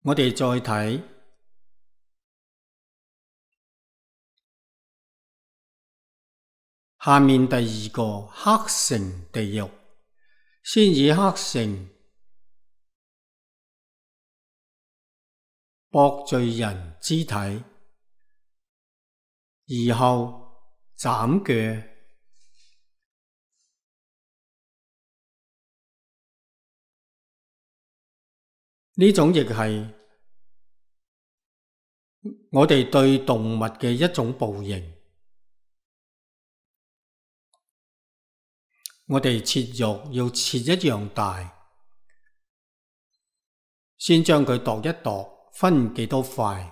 我哋再睇下面第二個黑城地獄，先以黑城剝罪人肢體，而後斬腳。呢種亦係我哋對動物嘅一種報應。我哋切肉要切一樣大，先將佢度一度，分幾多塊，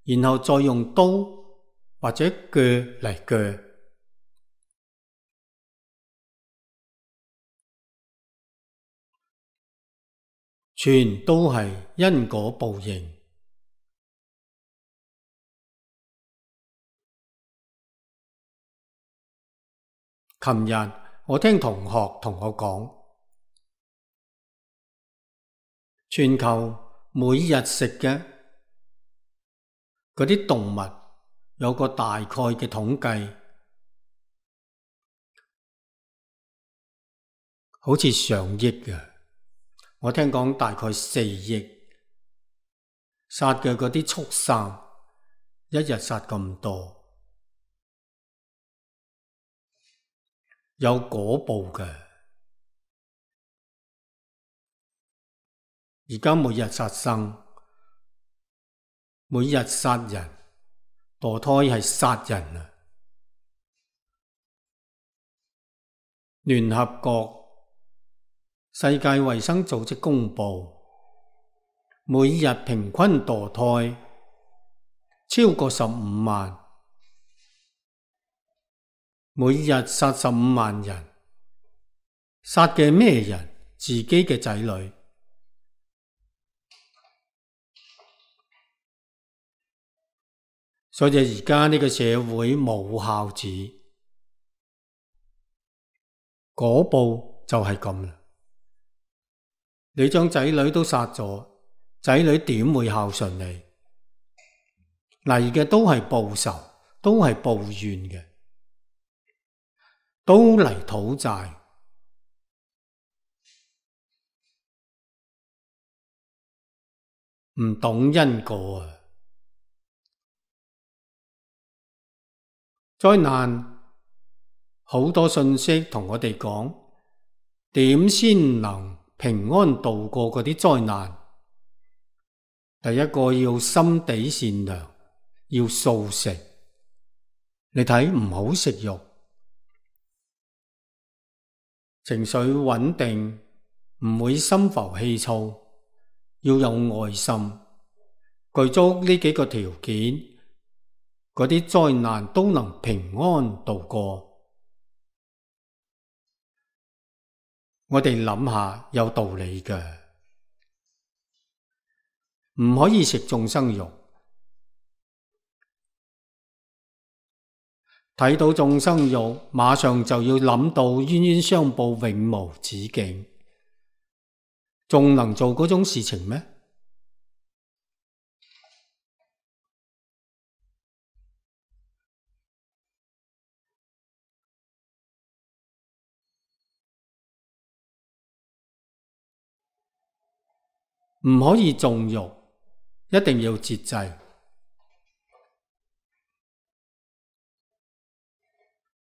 然後再用刀或者鋸嚟鋸。全都係因果報應。琴日我聽同學同我講，全球每日食嘅嗰啲動物有個大概嘅統計，好似上億嘅。我聽講大概4億，殺嘅嗰啲畜生，一日殺咁多。有果報嘅，而家每日殺生，每日殺人，墮胎係殺人啊！聯合國世界衛生組織公佈，每日平均墮胎超過15萬。每日殺15萬人，殺嘅咩人？自己嘅仔女。所以而家呢個社會冇孝子，果報就係咁啦。你將仔女都殺咗，仔女點會孝順你？嚟嘅都係報仇，都係報怨嘅。都嚟討債，唔懂因果啊！災難好多信息同我哋講，點先能平安度過嗰啲災難？第一個要心地善良，要素食。你睇，唔好食肉。情緒穩定，唔會心浮氣躁，要有愛心，具足呢幾個條件，嗰啲災難都能平安度過。我哋諗下，有道理嘅，唔可以食眾生肉。睇到眾生肉，馬上就要諗到冤冤相報永無止境，仲能做嗰種事情咩？唔可以縱慾，一定要節制。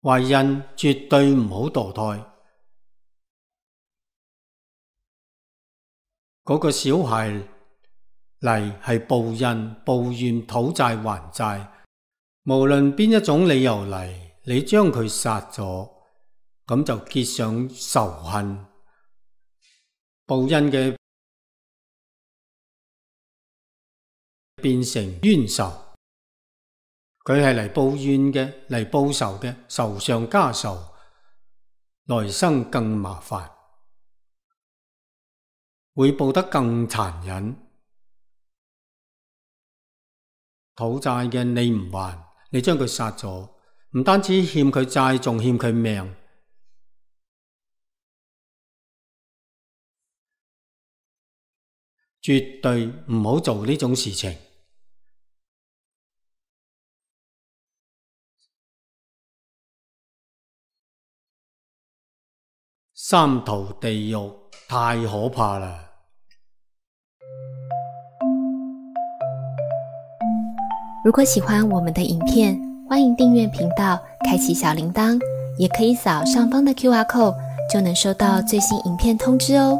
懷孕絕對唔好墮胎。嗰個小孩嚟係報恩、報怨、討債還債，無論邊一種理由嚟，你將佢殺咗，咁就結上仇恨。報恩嘅變成冤仇，佢係嚟報怨嘅，嚟報仇嘅，仇上加仇，來生更麻煩，會報得更殘忍。討債嘅你唔還，你將佢殺咗，唔單止欠佢債，仲欠佢命。絕對唔好做呢種事情。三途地獄太可怕啦！如果喜歡我們的影片，歡迎訂閱頻道，開啟小鈴鐺，也可以掃上方的QR code，就能收到最新影片通知哦。